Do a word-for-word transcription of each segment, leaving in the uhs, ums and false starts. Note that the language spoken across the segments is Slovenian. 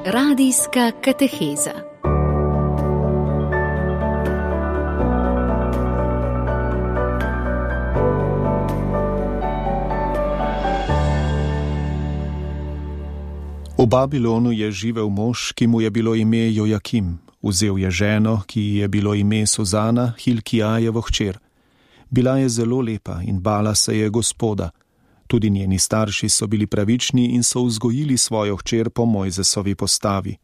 Radijska kateheza. V Babilonu je živel mož, ki mu je bilo ime Jojakim. Vzel je ženo, ki ji je bilo ime Suzana, Hilkijajevo hčer. Bila je zelo lepa in bala se je Gospoda. Tudi njeni starši so bili pravični in so vzgojili svojo hčer po Mojzesovi postavi.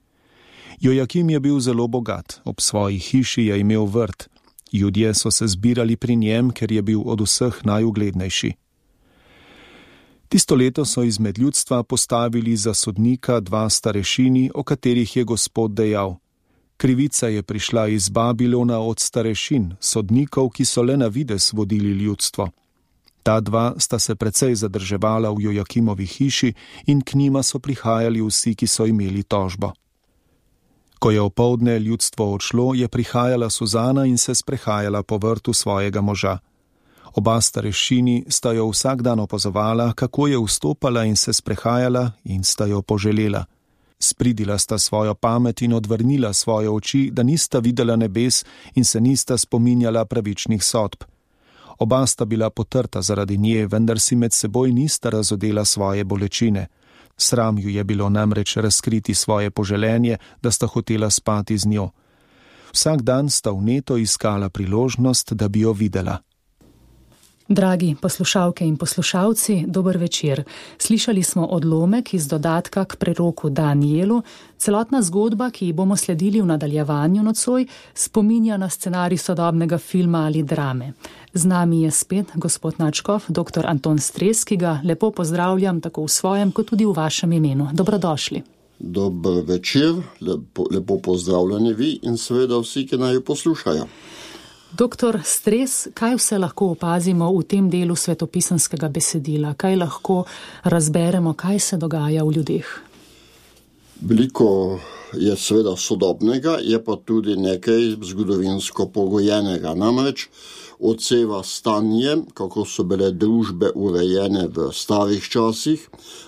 Jojakim je bil zelo bogat, ob svoji hiši je imel vrt. Judje so se zbirali pri njem, ker je bil od vseh najuglednejši. Tisto leto so izmed ljudstva postavili za sodnika dva starešini, o katerih je Gospod dejal: krivica je prišla iz Babilona od starešin, sodnikov, ki so le na vides vodili ljudstvo. Ta dva sta se precej zadrževala v Jojakimovi hiši in k njima so prihajali vsi, ki so imeli tožbo. Ko je opoldne ljudstvo odšlo, je prihajala Suzana in se sprehajala po vrtu svojega moža. Oba starešini sta jo vsak dan opazovala, kako je vstopala in se sprehajala, in sta jo poželela. Spridila sta svojo pamet in odvrnila svoje oči, da nista videla nebes in se nista spominjala pravičnih sodb. Oba sta bila potrta zaradi nje, vendar si med seboj nista razodela svoje bolečine. Sram ju je bilo namreč razkriti svoje poželenje, da sta hotela spati z njo. Vsak dan sta vneto iskala priložnost, da bi jo videla. Dragi poslušalke in poslušalci, dober večer. Slišali smo odlomek iz dodatka k preroku Danielu. Celotna zgodba, ki ji bomo sledili v nadaljevanju nocoj, spominja na scenarij sodobnega filma ali drame. Z nami je spet gospod nadškof, dr. Anton Stres, ki ga lepo pozdravljam tako v svojem, kot tudi v vašem imenu. Dobrodošli. Dober večer, lepo, lepo pozdravljeni vi in seveda vsi, ki naj jo poslušajo. Doktor Stres, kaj vse lahko opazimo v tem delu svetopisanskega besedila? Kaj lahko razberemo, kaj se dogaja v ljudeh? Veliko je seveda sodobnega, je pa tudi nekaj zgodovinsko pogojenega. Namreč odseva stanje, kako so bile družbe urejene v starih časih,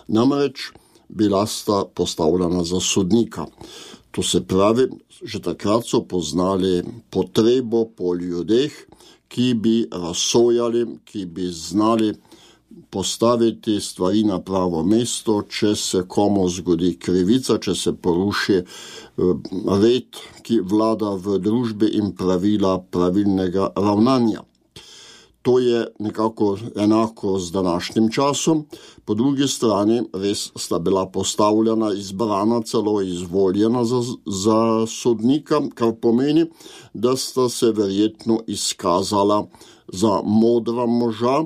namreč bila sta postavljena za sodnika. To se pravi, že takrat so poznali potrebo po ljudeh, ki bi razsojali, ki bi znali postaviti stvari na pravo mesto, če se komu zgodi krivica, če se poruši red, ki vlada v družbi in pravila pravilnega ravnanja. To je nekako enako z današnjim časom. Po drugi strani res sta bila postavljena, izbrana, celo izvoljena za, za sodnika, kar pomeni, da sta se verjetno izkazala za modra moža,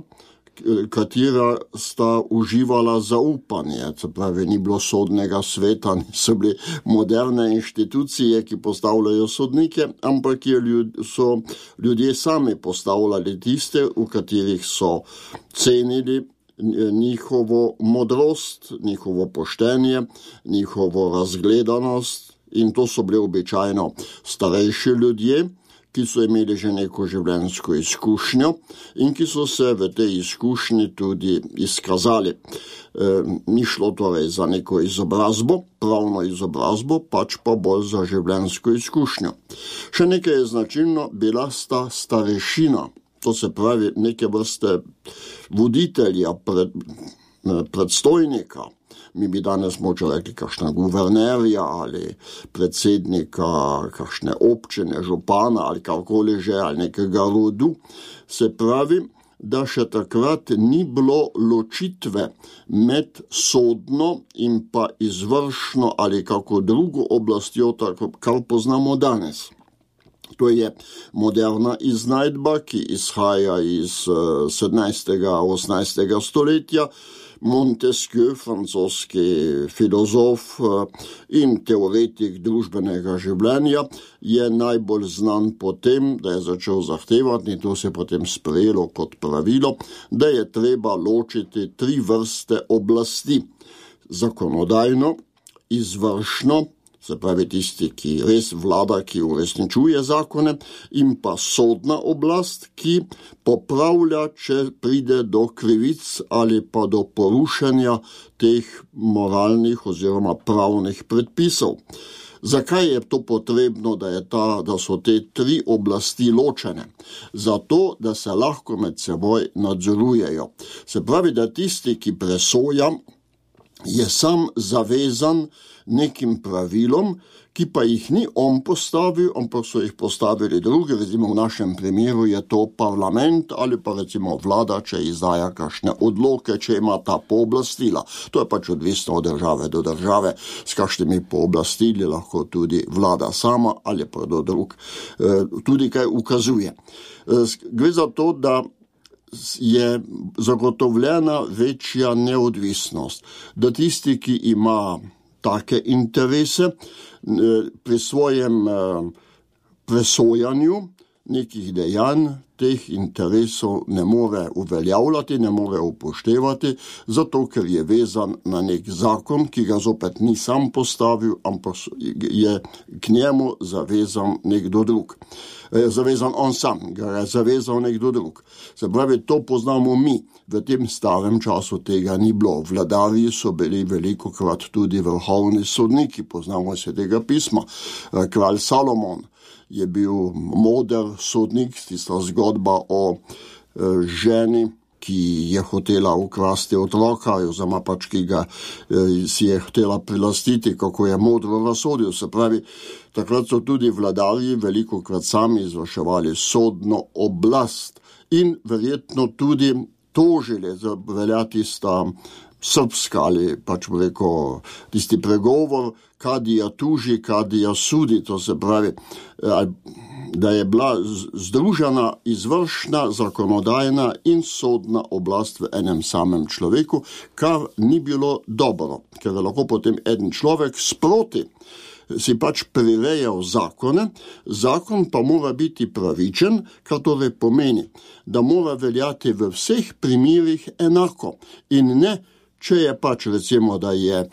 katera sta uživala zaupanje. Se pravi, ni bilo sodnega sveta, niso bili moderne inštitucije, ki postavljajo sodnike, ampak je ljud, so ljudje sami postavljali tiste, v katerih so cenili njihovo modrost, njihovo poštenje, njihovo razgledanost, in to so bili običajno starejši ljudje, ki so imeli že neko življenjsko izkušnjo in ki so se v tej izkušnji tudi izkazali. E, ni šlo torej za neko izobrazbo, pravno izobrazbo, pač pa bolj za življenjsko izkušnjo. Še nekaj je značilno, bila sta starešina, to se pravi neke vrste voditelja, pred, predstojnika. Mi bi danes moče rekli kakšna guvernerja ali predsednika kakšne občine, župana ali karkoli že, ali nekega rodu. Se pravi, da še takrat ni bilo ločitve med sodno in pa izvršno ali kako drugo oblastjo, tako, kar poznamo danes. To je moderna iznajdba, ki izhaja iz sedemnajstega, osemnajstega stoletja. Montesquieu, francoski filozof in teoretik družbenega življenja, je najbolj znan po tem, da je začel zahtevati, in to se potem sprejelo kot pravilo, da je treba ločiti tri vrste oblasti. Zakonodajno, izvršno, se pravi tisti, ki res vlada, ki uresničuje zakone, in pa sodna oblast, ki popravlja, če pride do krivic ali pa do porušenja teh moralnih oziroma pravnih predpisov. Zakaj je to potrebno, da, je ta, da so te tri oblasti ločene? Zato, da se lahko med seboj nadzorujejo. Se pravi, da tisti, ki presoja, je sam zavezan nekim pravilom, ki pa jih ni on postavil, ampak so jih postavili drugi. Recimo v našem primeru je to parlament ali pa recimo vlada, če izdaja kakšne odloke, če ima ta pooblastila. To je pač odvisno od države do države, s kakšnimi pooblastili lahko tudi vlada sama ali pa do drug tudi kaj ukazuje. Gre za to, da je zagotovljena večja neodvisnost, da tisti, ki ima take interese, pri svojem presojanju nekih dejanj teh interesov ne more uveljavljati, ne more upoštevati, zato ker je vezan na nek zakon, ki ga zopet ni sam postavil, ampak je k njemu zavezan nekdo drug. Zavezan on sam, ga je zavezal nekdo drug. Se pravi, to poznamo mi. V tem starem času tega ni bilo. Vladarji so bili velikokrat tudi vrhovni sodniki, poznamo se tega pisma. Kralj Salomon je bil moder sodnik, tista zgodba o ženi, ki je hotela ukrasti otroka, oziroma pač, ki ga si je hotela prilastiti, kako je modro razsodil. Se pravi, takrat so tudi vladarji velikokrat sami izvrševali sodno oblast in verjetno tudi tožili, velja tista srpska ali pač rekel tisti pregovor, kadija tuži, kadija sudi, to se pravi, da je bila združena izvršna, zakonodajna in sodna oblast v enem samem človeku, kar ni bilo dobro, ker je lahko potem eden človek sproti si pač prirejal zakone, zakon pa mora biti pravičen, kar torej pomeni, da mora veljati v vseh primerih enako in ne, če je pač recimo, da je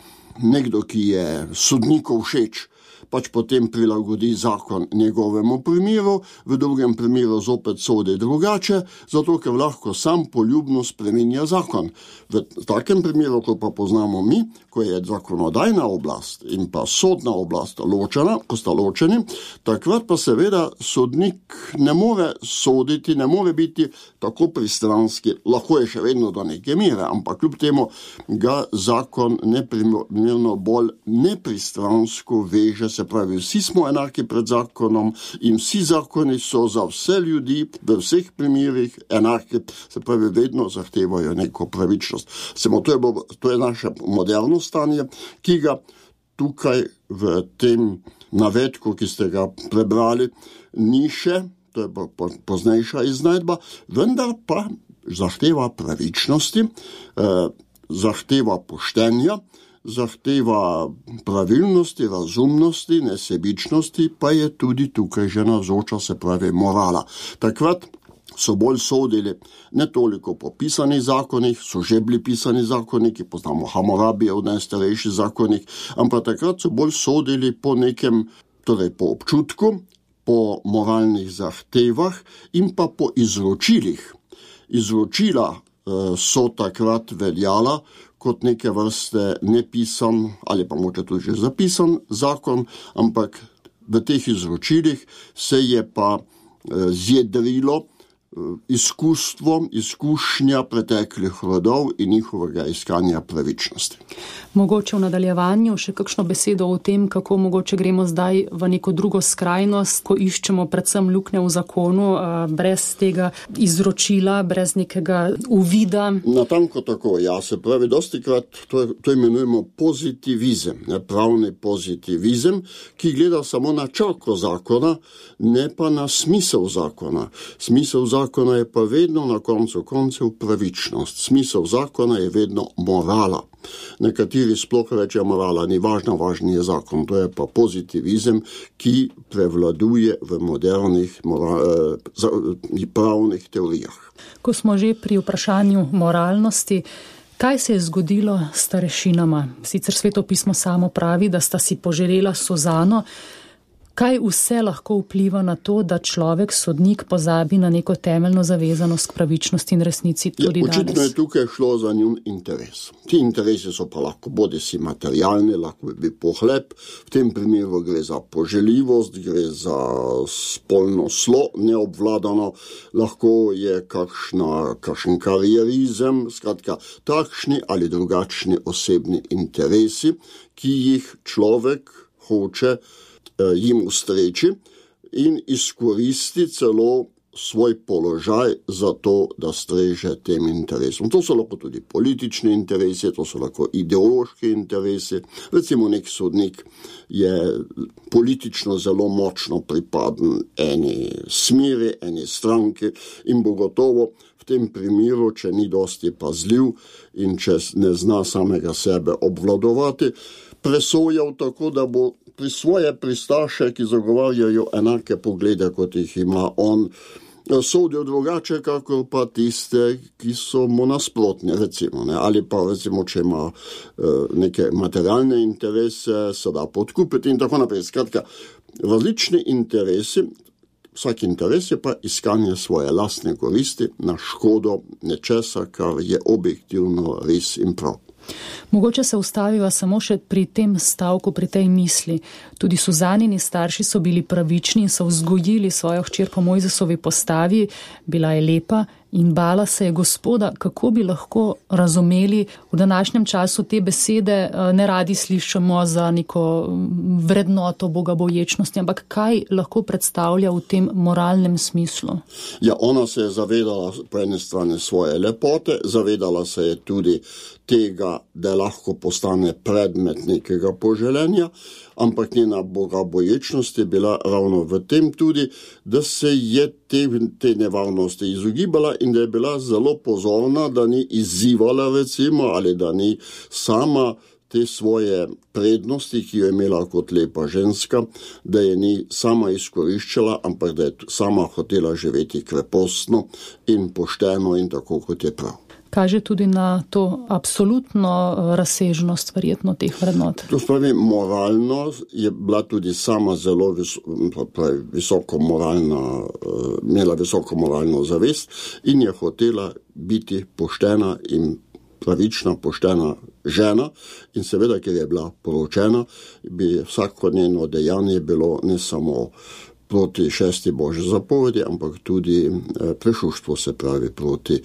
nekdo, ki je sodniku všeč, pač potem prilagodi zakon njegovemu primeru, v drugem primeru zopet sodi drugače, zato ker lahko sam poljubno spreminja zakon. V takem primeru, ko pa poznamo mi, ko je zakonodajna oblast in pa sodna oblast ločena, ko sta ločeni, takrat pa seveda sodnik ne more soditi, ne more biti tako pristranski, lahko je še vedno do neke mere, ampak kljub temu ga zakon neprimerno bolj nepristransko veže, se pravi, vsi smo enaki pred zakonom in vsi zakoni so za vse ljudi v vseh primerih enaki, se pravi, vedno zahtevajo neko pravičnost. Samo to je, to je naše moderno stanje, ki ga tukaj v tem navedku, ki ste ga prebrali, ni še, to je pa poznejša iznajdba, vendar pa zahteva pravičnosti, eh, zahteva poštenja, zahteva pravilnosti, razumnosti, nesebičnosti, pa je tudi tukaj že navzoča, se pravi morala. Takrat so bolj sodili ne toliko po pisanih zakonih, so že bili pisani zakoniki, poznamo Hammurabijev najstarejši zakonik, ampak takrat so bolj sodili po nekem, torej po občutku, po moralnih zahtevah in pa po izročilih. Izročila eh, so takrat veljala kot neke vrste nepisan ali pa moče tudi že zapisan zakon, ampak v teh izročilih se je pa eh, zjedrilo izkustvo, izkušnja preteklih rodov in njihovega iskanja pravičnosti. Mogoče v nadaljevanju še kakšno besedo o tem, kako mogoče gremo zdaj v neko drugo skrajnost, ko iščemo predvsem luknje v zakonu, brez tega izročila, brez nekega uvida. Natanko tako, ja, se pravi, dostikrat to, to imenujemo pozitivizem, ne, pravni pozitivizem, ki gleda samo na črko zakona, ne pa na smisel zakona. Smisel zakona Zakona je pa vedno na koncu koncev pravičnost. Smisel zakona je vedno morala. Nekateri sploh rečejo, morala ni važna, važni je zakon. To je pa pozitivizem, ki prevladuje v modernih mora, pravnih teorijah. Ko smo že pri vprašanju moralnosti, Kaj se je zgodilo s starešinama? Sicer Sveto pismo samo pravi, da sta si poželela Suzano. Kaj vse lahko vpliva na to, da človek, sodnik, pozabi na neko temeljno zavezanost k pravičnosti in resnici tudi ja, danes? Očitno je tukaj šlo za njun interes. Ti interesi so pa lahko bodi si materialni, lahko bi pohlep, v tem primeru gre za poželjivost, gre za spolno slo neobvladano, lahko je kakšna, kakšen karierizem, skratka takšni ali drugačni osebni interesi, ki jih človek hoče jim ustreči in izkoristi celo svoj položaj za to, da streže tem interesom. To so lahko tudi politični interesi, to so lahko ideološki interesi. Recimo nek sodnik je politično zelo močno pripaden eni smeri, eni stranki in bo gotovo v tem primeru, če ni dosti pazljiv in če ne zna samega sebe obvladovati, presojal tako, da bo pri svoje pristaše, ki zagovarjajo enake poglede, kot jih ima on, sodil drugače, kakor pa tiste, ki so mu nasprotni, recimo, ne? Ali pa recimo, če ima uh, neke materialne interese, se da podkupiti in tako naprej. Skratka, različni interesi, vsak interes je pa iskanje svoje lastne koristi na škodo nečesa, kar je objektivno res in prav. Mogoče se ustaviva samo še pri tem stavku, pri tej misli. Tudi Suzanini starši so bili pravični in so vzgojili svojo hčer po Mojzesovi postavi, bila je lepa in bala se je Gospoda. Kako bi lahko razumeli v današnjem času te besede, ne radi slišimo za neko vrednoto bogaboječnosti, ampak kaj lahko predstavlja v tem moralnem smislu? Ja, ona se je zavedala po eni strani svoje lepote, zavedala se je tudi tega, da lahko postane predmet nekega poželenja, ampak njena bogaboječnost je bila ravno v tem tudi, da se je te, te nevarnosti izogibala in da je bila zelo pozorna, da ni izzivala recimo ali da ni sama te svoje prednosti, ki jo je imela kot lepa ženska, da je ni sama izkoriščala, ampak da je sama hotela živeti krepostno in pošteno in tako, kot je prav. Kaže tudi na to absolutno razsežnost verjetno teh vrednot. To spravi, moralno je bila tudi sama zelo vis, pravi, visoko moralna, imela visoko moralno zavest in je hotela biti poštena in pravična, poštena žena in seveda, ker je bila poročena, bi vsako njeno dejanje bilo ne samo proti šesti Božji zapovedi, ampak tudi prešuštvo, se pravi proti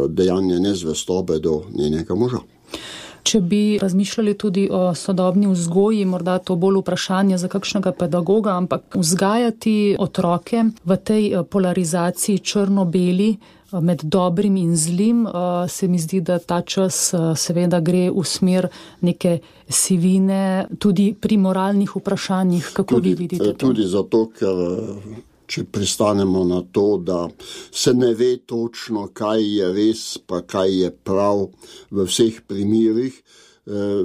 dejanje nezvestobe do njenega moža. Če bi razmišljali tudi o sodobni vzgoji, morda to bolj vprašanje za kakšnega pedagoga, ampak vzgajati otroke v tej polarizaciji črno-beli med dobrim in zlim, se mi zdi, da ta čas seveda gre v smer neke sivine, tudi pri moralnih vprašanjih. Kako tudi, vi vidite to? Tudi zato, ker če pristanemo na to, da se ne ve točno, kaj je res, pa kaj je prav v vseh primerih.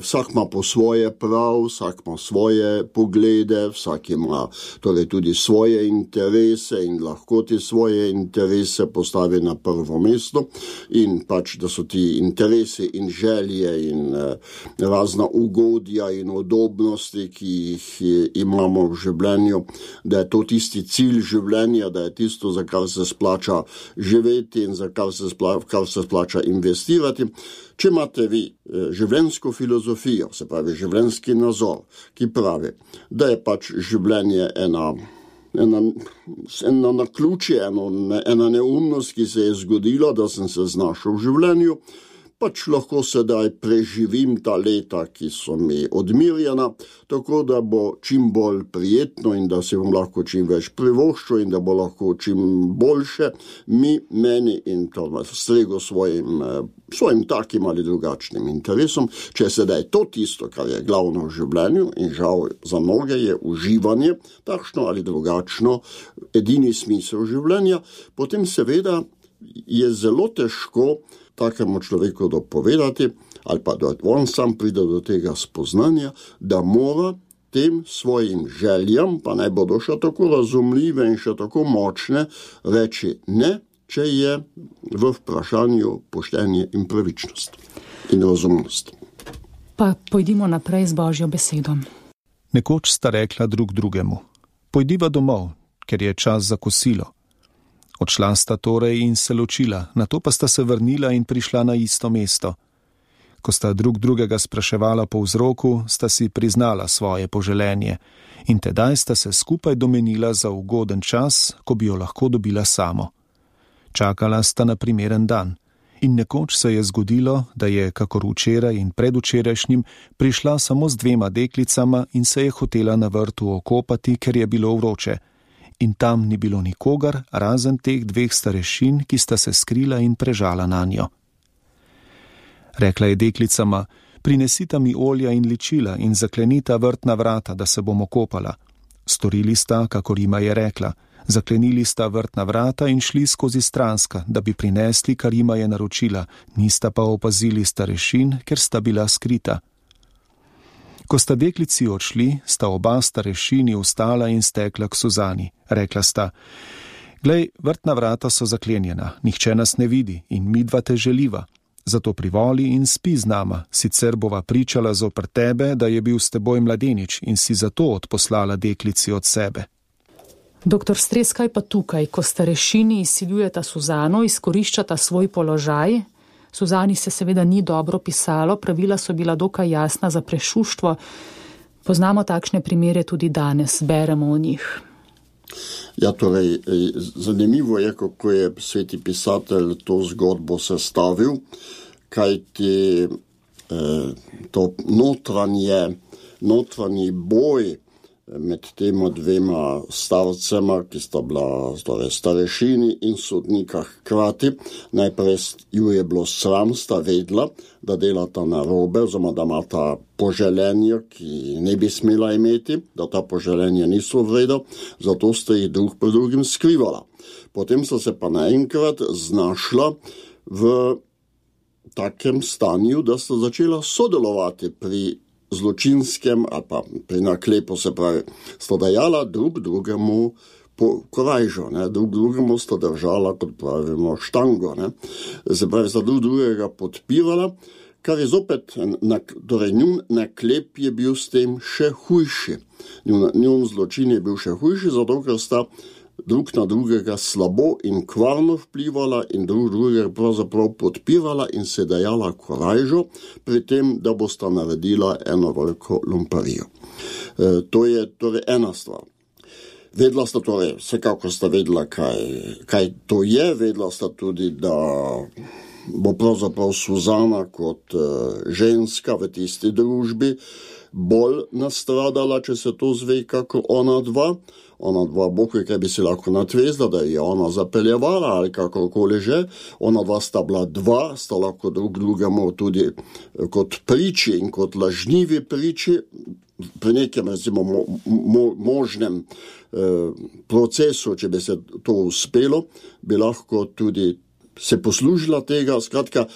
Vsak ima po svoje prav, vsak ima svoje poglede, vsak ima torej tudi svoje interese in lahko ti svoje interese postavi na prvo mesto in pač, da so ti interesi in želje in razna ugodja in udobnosti, ki jih imamo v življenju, da je to tisti cilj življenja, da je tisto, za kar se splača živeti in za kar se splača, kar se splača investirati. Če imate vi življenjsko filozofijo, se pravi življenjski nazor, ki pravi, da je pač življenje ena, ena, ena naključje, ena, ena neumnost, ki se je zgodila, da sem se znašel v življenju, pač lahko sedaj preživim ta leta, ki so mi odmirjena, tako da bo čim bolj prijetno in da se bom lahko čim več privoščil in da bo lahko čim boljše mi, meni in to strego svojim, svojim takim ali drugačnim interesom. Če sedaj to tisto, kar je glavno v življenju in žal za mnoge je uživanje, takšno ali drugačno, edini smisel življenja, potem seveda je zelo težko takemu človeku dopovedati, ali pa da on sam pride do tega spoznanja, da mora tem svojim željam, pa naj bodo še tako razumljive in še tako močne, reči ne, če je v vprašanju poštenje in pravičnost. in razumnost. Pa pojdimo naprej z Božjo besedo. Nekoč sta rekla drug drugemu: pojdiva domov, ker je čas za kosilo. Odšla sta torej in se ločila, nato pa sta se vrnila in prišla na isto mesto. Ko sta drug drugega spraševala po vzroku, sta si priznala svoje poželenje in tedaj sta se skupaj domenila za ugoden čas, ko bi jo lahko dobila samo. Čakala sta na primeren dan in nekoč se je zgodilo, da je, kakor včeraj in predvčerajšnjim, prišla samo z dvema deklicama in se je hotela na vrtu okopati, ker je bilo vroče. In tam ni bilo nikogar, razen teh dveh starešin, ki sta se skrila in prežala nanjo. Rekla je deklicama: prinesita mi olja in ličila in zaklenita vrtna vrata, da se bomo kopala. Storili sta, kakor jima je rekla. Zaklenili sta vrtna vrata in šli skozi stranska, da bi prinesli, kar jima je naročila, nista pa opazili starešin, ker sta bila skrita. Ko sta deklici odšli, sta oba starešini vstala in stekla k Suzani. Rekla sta: glej, vrtna vrata so zaklenjena, nihče nas ne vidi in midva te želiva. Zato privoli in spi z nama, sicer bova pričala zoper tebe, da je bil s teboj mladenič in si zato odposlala deklici od sebe. Doktor Stres, kaj pa tukaj, ko starešini izsiljujeta Suzano, izkoriščata svoj položaj? Suzani se seveda ni dobro pisalo, pravila so bila dokaj jasna za prešuštvo. Poznamo takšne primere tudi danes, beremo o njih. Ja, torej, zanimivo je, kako je sveti pisatelj to zgodbo sestavil, kajti eh, to notranje, notranji boj med tema dvema starcema, ki sta bila torej, starešini in sodnika hkrati. Najprej ju je bilo sram, sta vedla, da delata narobe, oziroma da imata poželenje, ki ne bi smela imeti, da ta poželenje niso vreda, zato sta jih drug pred drugim skrivala. Potem sta se pa naenkrat znašla v takem stanju, da sta začela sodelovati pri zločinskem ali pa pri naklepu, se pravi, sta dajala drug drugemu po korajžo, ne? Drug drugemu sta držala, kot pravimo, štango. Ne? Se pravi, sta drug drugega podpirala, kar je zopet, torej njun naklep je bil s tem še hujši. Njun, njun zločin je bil še hujši, zato ker sta drug na drugega slabo in kvarno vplivala in drug drugega pravzaprav podpirala in se dajala korajžo pri tem, da bosta naredila eno veliko lumparijo. E, to je torej ena stvar. Vedela sta torej, vsekakor sta vedela, kaj, kaj to je, vedela sta tudi, da bo pravzaprav Suzana kot uh, ženska v tisti družbi bolj nastradala, če se to zve, kako ona dva. Ona dva, Bog ve, kaj bi se lahko natvezla, da je ona zapeljevala ali kakorkoli že. Ona dva sta bila dva, sta lahko drug drugemu tudi kot priči in kot lažnivi priči pri nekem, recimo, mo, mo, možnem eh, procesu, če bi se to uspelo, bi lahko tudi se poslužila tega. Skratka,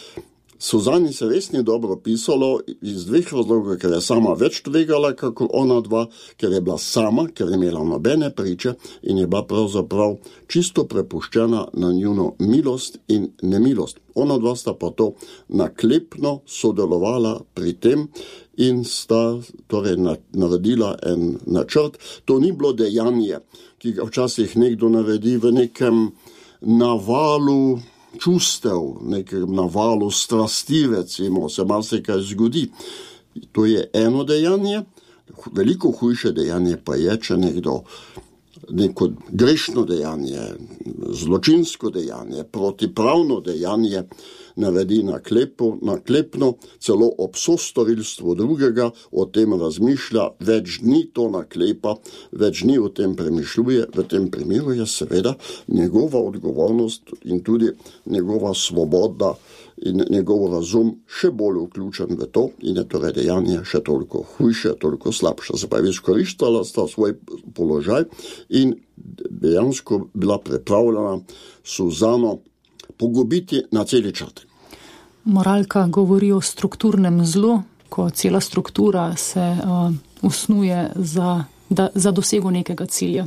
Suzani se res ni dobro pisalo iz dveh razlogov, ker je sama več tvegala, kako ona dva, ker je bila sama, ker je imela nobene priče in je bila pravzaprav čisto prepuščena na njuno milost in nemilost. Ona dva sta pa to naklepno sodelovala pri tem in sta torej naredila en načrt. To ni bilo dejanje, ki ga včasih nekdo naredi v nekem navalu čustev, nekem navalu strasti, recimo, se marsikaj zgodi. To je eno dejanje, veliko hujše dejanje pa je, če nekdo neko grešno dejanje, zločinsko dejanje, protipravno dejanje naredi naklepo, naklepno, celo ob sostorilstvu drugega, o tem razmišlja, več dni to naklepa, več dni o tem premišljuje. V tem primeru je seveda njegova odgovornost in tudi njegova svoboda in njegov razum še bolj vključen v to in je torej dejanje še toliko hujše, toliko slabše. Se pravi, izkoriščala sta svoj položaj in dejansko bila pripravljena Suzano pogubiti na celi črti. Moralka govori o strukturnem zlu, ko cela struktura se uh, usnuje za, da, za dosego nekega cilja.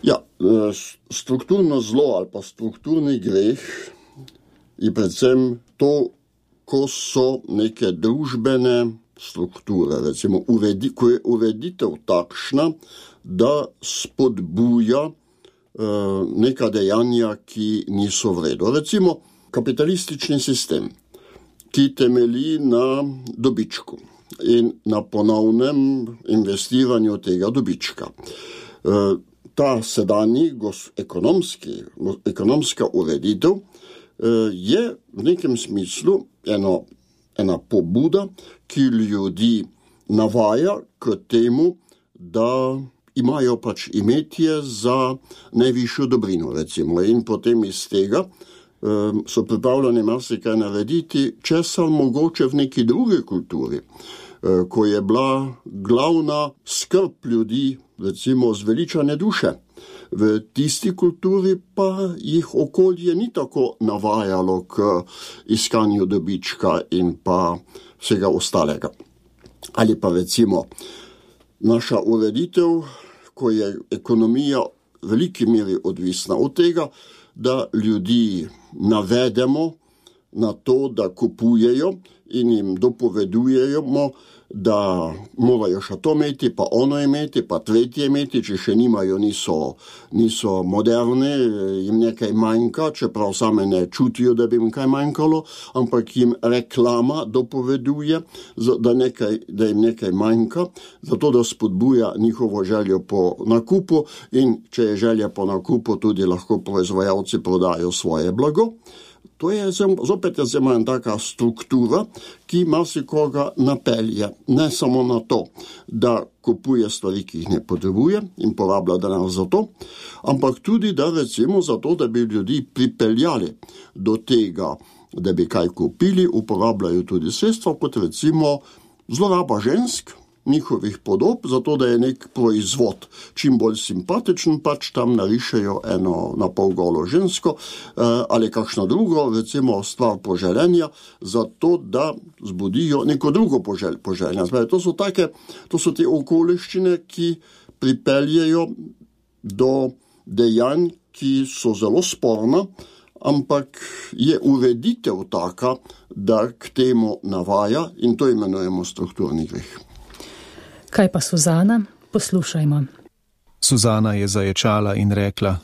Ja, strukturno zlo ali pa strukturni greh je predvsem to, ko so neke družbene strukture, recimo uredi, ko je ureditev takšna, da spodbuja uh, neka dejanja, ki niso v redu. Recimo kapitalistični sistem, ki temelji na dobičku in na ponovnem investiranju tega dobička. Uh, ta sedanji ekonomski, ekonomska ureditev uh, je v nekem smislu eno ena pobuda, ki ljudi navaja k temu, da imajo pač imetje za najvišjo dobrino, recimo. In potem iz tega um, so pripravljeni marsikaj narediti, česar mogoče v neki drugi kulturi, uh, ko je bila glavna skrb ljudi, recimo zveličane duše. V tisti kulturi pa jih okolje ni tako navajalo k iskanju dobička in pa vsega ostalega. Ali pa recimo naša ureditev, ko je ekonomija v veliki meri odvisna od tega, da ljudi navedemo na to, da kupujejo in jim dopovedujemo, da morajo še to imeti, pa ono imeti, pa tretje imeti, če še nimajo, niso, niso moderne, jim nekaj manjka, čeprav same ne čutijo, da bi jim kaj manjkalo, ampak jim reklama dopoveduje, da, nekaj, da jim nekaj manjka, zato da spodbuja njihovo željo po nakupu in če je želja po nakupu, tudi lahko proizvajalci prodajo svoje blago. To je zopet je zelo taka struktura, ki marsikoga napelje, ne samo na to, da kupuje stvari, ki jih ne potrebuje in porablja denar za to, ampak tudi, da recimo za to, da bi ljudi pripeljali do tega, da bi kaj kupili, uporabljajo tudi sredstva, kot recimo zloraba žensk, njihovih podob, zato da je nek proizvod čim bolj simpatičen, pač tam narišejo eno na pol golo žensko ali kakšno drugo, recimo stvar poželenja, zato da zbudijo neko drugo požel, poželjenja. To so take, to so te okoliščine, ki pripeljejo do dejanj, ki so zelo sporna, ampak je ureditev taka, da k temu navaja in to imenujemo strukturni greh. Kaj pa Suzana? Poslušajmo. Suzana je zaječala in rekla: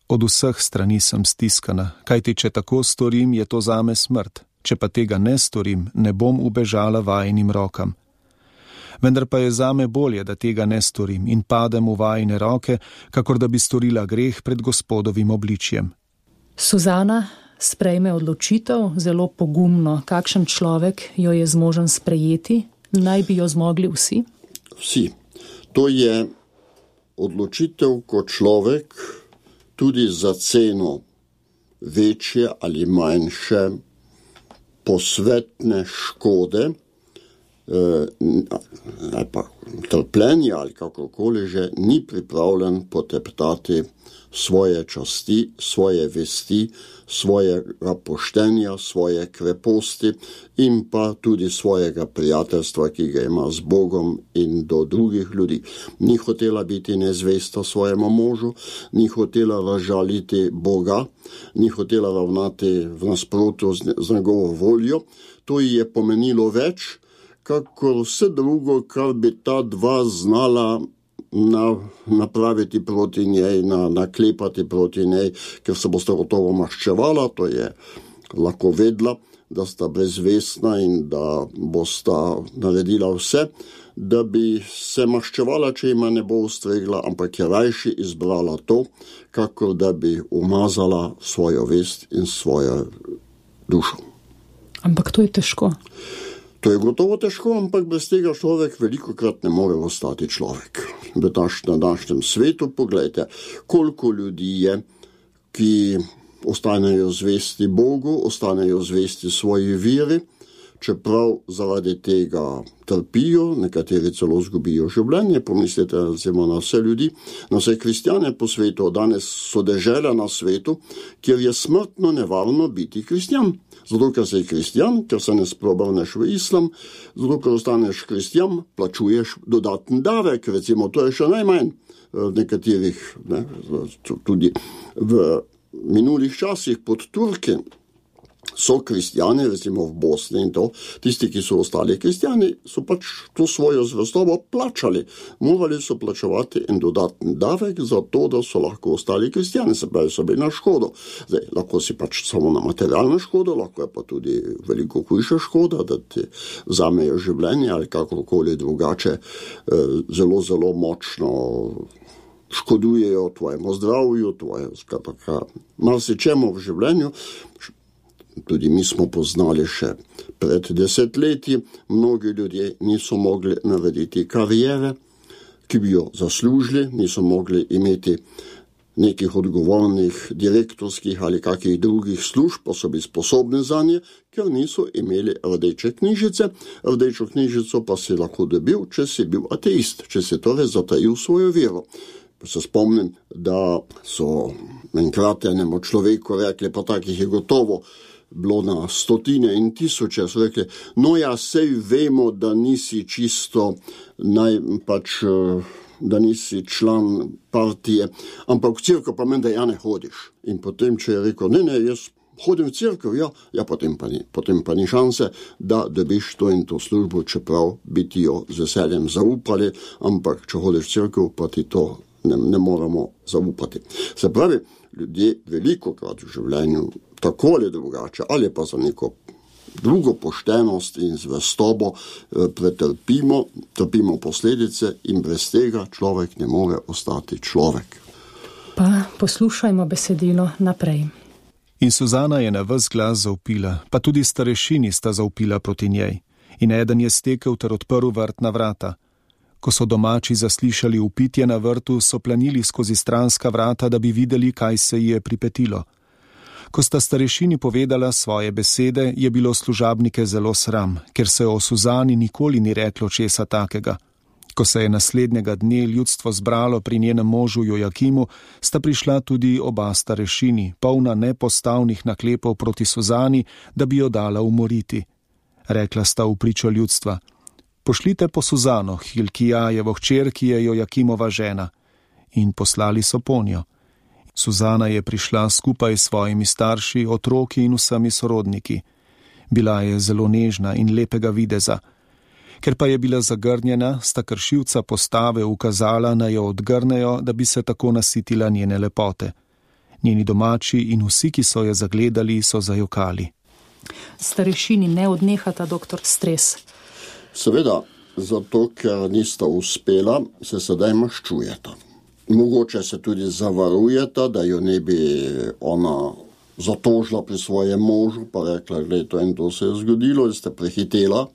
od vseh strani sem stiskana, kajti če tako storim, je to zame smrt. Če pa tega ne storim, ne bom ubežala vajinim rokam. Vendar pa je zame bolje, da tega ne storim in padem v vajine roke, kakor da bi storila greh pred Gospodovim obličjem. Suzana sprejme odločitev zelo pogumno. Kakšen človek jo je zmožen sprejeti? Naj bi jo zmogli vsi? Vsi. To je odločitev, ko človek tudi za ceno večje ali manjše posvetne škode ali pa trpljenja ali kakokoli že ni pripravljen poteptati svoje časti, svoje vesti, svojega poštenja, svoje kreposti in pa tudi svojega prijateljstva, ki ga ima z Bogom in do drugih ljudi. Ni hotela biti nezvesta svojemu možu, ni hotela razžaliti Boga, ni hotela ravnati v nasprotju z, z njegovo voljo. To ji je pomenilo več, kakor vse drugo, kar bi ta dva znala Na, napraviti proti njej, na, naklepati proti njej, ker se bosta gotovo maščevala, to je lahko vedla, da sta brezvestna in da bosta naredila vse, da bi se maščevala, če ima ne bo ustregla, ampak je rajši izbrala to, kakor da bi umazala svojo vest in svojo dušo. Ampak to je težko. To je gotovo težko, ampak brez tega človek velikokrat ne more ostati človek. V današnjem svetu, poglejte, koliko ljudi je, ki ostanejo zvesti Bogu, ostanejo zvesti svoji veri, čeprav zaradi tega trpijo, nekateri celo zgubijo življenje. Pomislite recimo na vse ljudi, na vse kristjane po svetu. Danes so dežela na svetu, kjer je smrtno nevarno biti kristjan. Zato, ker si kristjan, ker se ne sprobrneš v islam, zato, ker ostaneš kristjan, plačuješ dodaten davek, recimo, to je še najmanj v nekaterih, ne, tudi v minulih časih pod Turki, so kristjani, recimo v Bosni in to, tisti, ki so ostali kristjani, so pač to svojo zvestobo plačali. Morali so plačevati en dodatni davek za to, da so lahko ostali kristjani, se pravi, so bili na škodo. Zdaj, lahko si pač samo na materialno škodo, lahko je pa tudi veliko hujša škoda, da ti vzamejo življenje ali kakorkoli drugače zelo, zelo močno škodujejo tvojemu zdravju, tvoje, skratka, marsičemu v življenju. Tudi mi smo poznali še pred desetletji, mnogi ljudje niso mogli narediti karijere, ki bi jo zaslužili, niso mogli imeti nekih odgovornih direktorskih ali kakih drugih služb, pa so bili sposobni za nje, ker niso imeli rdeče knjižice. Rdečo knjižico pa si lahko dobil, če si bil ateist, če si torej zatajil svojo vero. Se spomnim, da so enkrat enemu človeku rekli, pa takih je gotovo bilo na stotine in tisoče, so rekli, no ja, sej vemo, da nisi čisto naj, pač, da nisi član partije, ampak v cerkev pa menda ja ne hodiš. In potem, če je rekel, ne, ne, jaz hodim v cerkev, ja, ja potem, pa ni, potem pa ni šanse, da dobiš to in to službo, čeprav bi ti jo z veseljem zaupali, ampak če hodiš v cerkev, pa ti to ne, ne moramo zaupati. Se pravi, ljudje veliko krat v življenju tako ali drugače, ali pa za neko drugo poštenost in zvestobo pretrpimo, trpimo posledice in brez tega človek ne more ostati človek. Pa poslušajmo besedilo naprej. In Suzana je na ves glas zavpila, pa tudi starešini sta zavpila proti njej. In eden je stekel ter odprl vrtna vrata. Ko so domači zaslišali vpitje na vrtu, so planili skozi stranska vrata, da bi videli, kaj se ji je pripetilo. Ko sta starešini povedala svoje besede, je bilo služabnike zelo sram, ker se o Suzani nikoli ni reklo česa takega. Ko se je naslednjega dne ljudstvo zbralo pri njenem možu Jojakimu, sta prišla tudi oba starešini, polna nepostavnih naklepov proti Suzani, da bi jo dala umoriti. Rekla sta v pričo ljudstva, pošljite po Suzano, Hilkijajevo hčer, ki je Jojakimova žena. In poslali so ponjo. Suzana je prišla skupaj s svojimi starši, otroki in vsemi sorodniki. Bila je zelo nežna in lepega videza. Ker pa je bila zagrnjena, sta kršilca postave ukazala, naj jo odgrnejo, da bi se tako nasitila njene lepote. Njeni domači in vsi, ki so jo zagledali, so zajokali. Starešini ne odnehata, doktor, stres. Seveda, zato ker nista uspela, se sedaj maščujeta. Mogoče se tudi zavarujeta, da jo ne bi ona zatožila pri svojem možu, pa rekla, gled, to in to se je zgodilo, da ste prehitela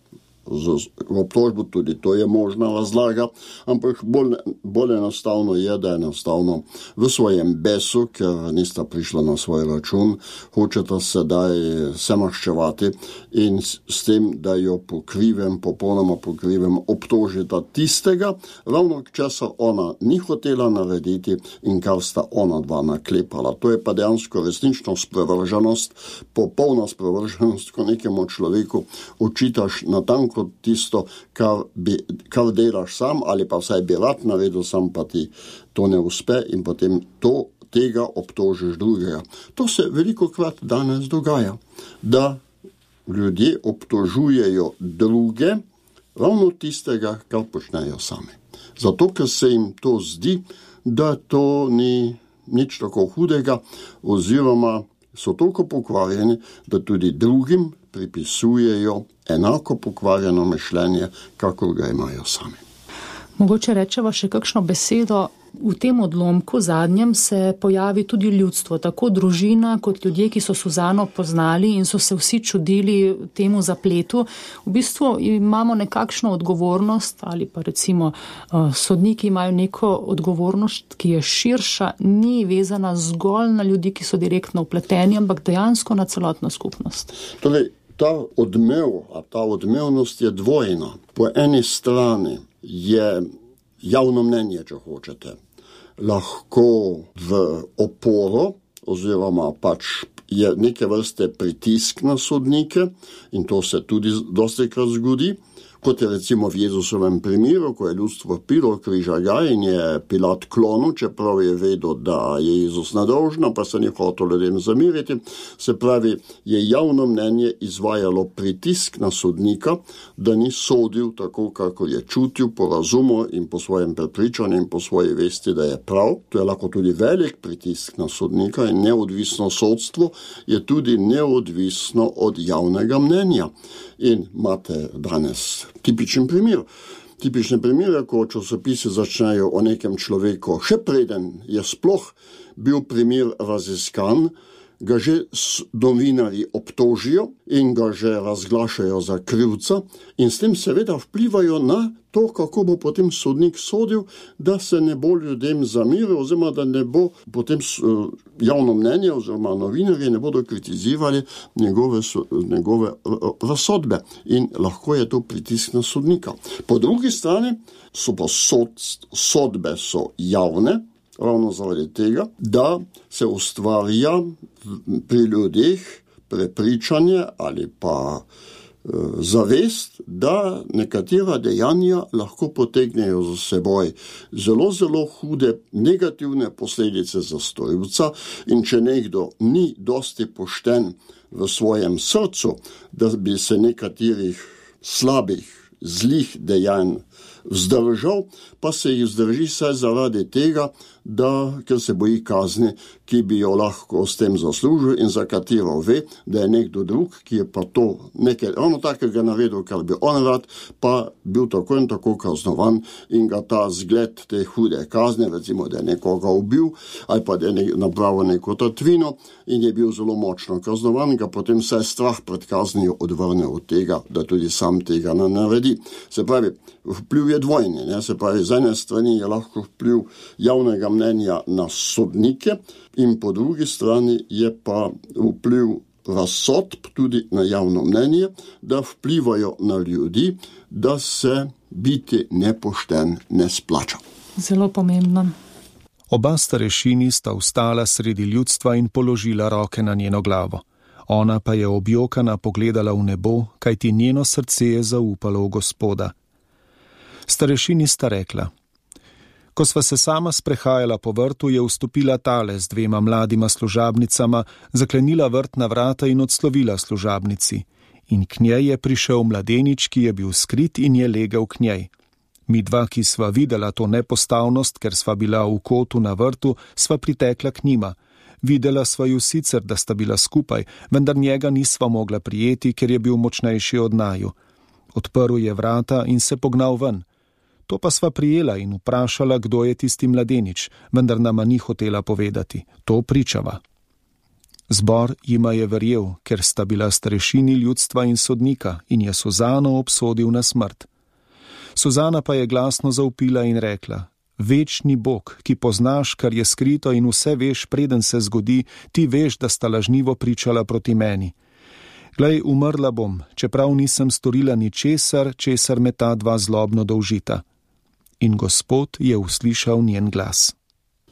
z obtožbo, tudi to je možna razlaga, ampak bolj, bolj enostavno je, da je enostavno v svojem besu, ker nista prišla na svoj račun, hočeta sedaj se maščevati in s tem, da jo pokrivem, popolnoma pokrivem, obtožita tistega, ravno česar ona ni hotela narediti in kar sta ona dva naklepala. To je pa dejansko resnično sprevrženost, popolna sprevrženost, ko nekemu človeku očitaš natanko kot tisto, kar, bi, kar delaš sam, ali pa vsaj bi rad naredil sam, pa ti to ne uspe in potem to, tega obtožiš drugega. To se veliko krat danes dogaja, da ljudje obtožujejo druge ravno tistega, kar počnejo sami. Zato, ker se jim to zdi, da to ni nič tako hudega, oziroma so toliko pokvarjeni, da tudi drugim pripisujejo enako pokvarjeno mišljenje, kakor ga imajo sami. Mogoče rečeva še kakšno besedo. V tem odlomku zadnjem se pojavi tudi ljudstvo, tako družina kot ljudje, ki so Suzano poznali in so se vsi čudili temu zapletu. V bistvu imamo nekakšno odgovornost ali pa recimo sodniki imajo neko odgovornost, ki je širša, ni vezana zgolj na ljudi, ki so direktno vpleteni, ampak dejansko na celotno skupnost. Torej, ta odmev, a ta odmevnost je dvojna. Po eni strani je javno mnenje, če hočete, lahko v oporo oziroma pač je neke vrste pritisk na sodnike in to se tudi dostikrat zgodi, Kot je recimo v Jezusovem primeru, ko je ljudstvo pilo križa ga in je Pilat klonil, čeprav je vedel, da je Jezus nedolžen, pa se ni hotel ljudem zamiriti. Se pravi, je javno mnenje izvajalo pritisk na sodnika, da ni sodil tako, kako je čutil po razumu in po svojem prepričanju in po svoji vesti, da je prav. To je lahko tudi velik pritisk na sodnika in neodvisno sodstvo je tudi neodvisno od javnega mnenja. In imate danes tipičen primer. Tipične primere, ko časopisi začnejo o nekem človeku, še preden je sploh bil primer raziskan, ga že novinarji obtožijo in ga že razglašajo za krivca in s tem seveda vplivajo na to, kako bo potem sodnik sodil, da se ne bo ljudem zamiril, oziroma da ne bo potem javno mnenje oziroma novinarji ne bodo kritizirali njegove, njegove razsodbe in lahko je to pritisk na sodnika. Po drugi strani so pa sod, sodbe so javne, ravno zaradi tega, da se ustvarja pri ljudeh prepričanje ali pa e, zavest, da nekatera dejanja lahko potegnejo za seboj zelo, zelo hude negativne posledice za storilca in če nekdo ni dosti pošten v svojem srcu, da bi se nekaterih slabih, zlih dejanj vzdržal, pa se jih vzdrži saj zaradi tega, da, ker se boji kazni, ki bi jo lahko s tem zaslužil in za katero ve, da je nekdo drug, ki je pa to nekaj ravno takega naredil, kar bi on rad, pa bil tako in tako kaznovan in ga ta zgled te hude kazne, recimo, da je nekoga ubil ali pa da je napravil neko tatvino in je bil zelo močno kaznovan, ga potem vsaj strah pred kaznijo odvrne od tega, da tudi sam tega ne naredi. Se pravi, vpliv je dvojni, ne? Se pravi, z ene strani je lahko vpliv javnega mnenja na sodnike in po drugi strani je pa vpliv razsodb tudi na javno mnenje, da vplivajo na ljudi, da se biti nepošten ne splača. Zelo pomembno. Oba starešini sta vstala sredi ljudstva in položila roke na njeno glavo. Ona pa je objokana pogledala v nebo, kajti njeno srce je zaupalo v Gospoda. Starešini sta rekla: Ko sva se sama sprehajala po vrtu, je vstopila tale z dvema mladima služabnicama, zaklenila vrtna vrata in odslovila služabnici. In k njej je prišel mladenič, ki je bil skrit in je legel k njej. Mi dva, ki sva videla to nepostavnost, ker sva bila v kotu na vrtu, sva pritekla k njima. Videla sva ju sicer, da sta bila skupaj, vendar njega nisva mogla prijeti, ker je bil močnejši od naju. Odprl je vrata in se pognal ven. To pa sva prijela in vprašala, kdo je tisti mladenič, vendar nama ni hotela povedati. To pričava. Zbor jima je verjel, ker sta bila starešini ljudstva in sodnika in je Suzano obsodil na smrt. Suzana pa je glasno zavpila in rekla: Večni Bog, ki poznaš, kar je skrito in vse veš, preden se zgodi, ti veš, da sta lažnivo pričala proti meni. Glej, umrla bom, čeprav nisem storila ničesar, česar me ta dva zlobno dolžita. In Gospod je uslišal njen glas.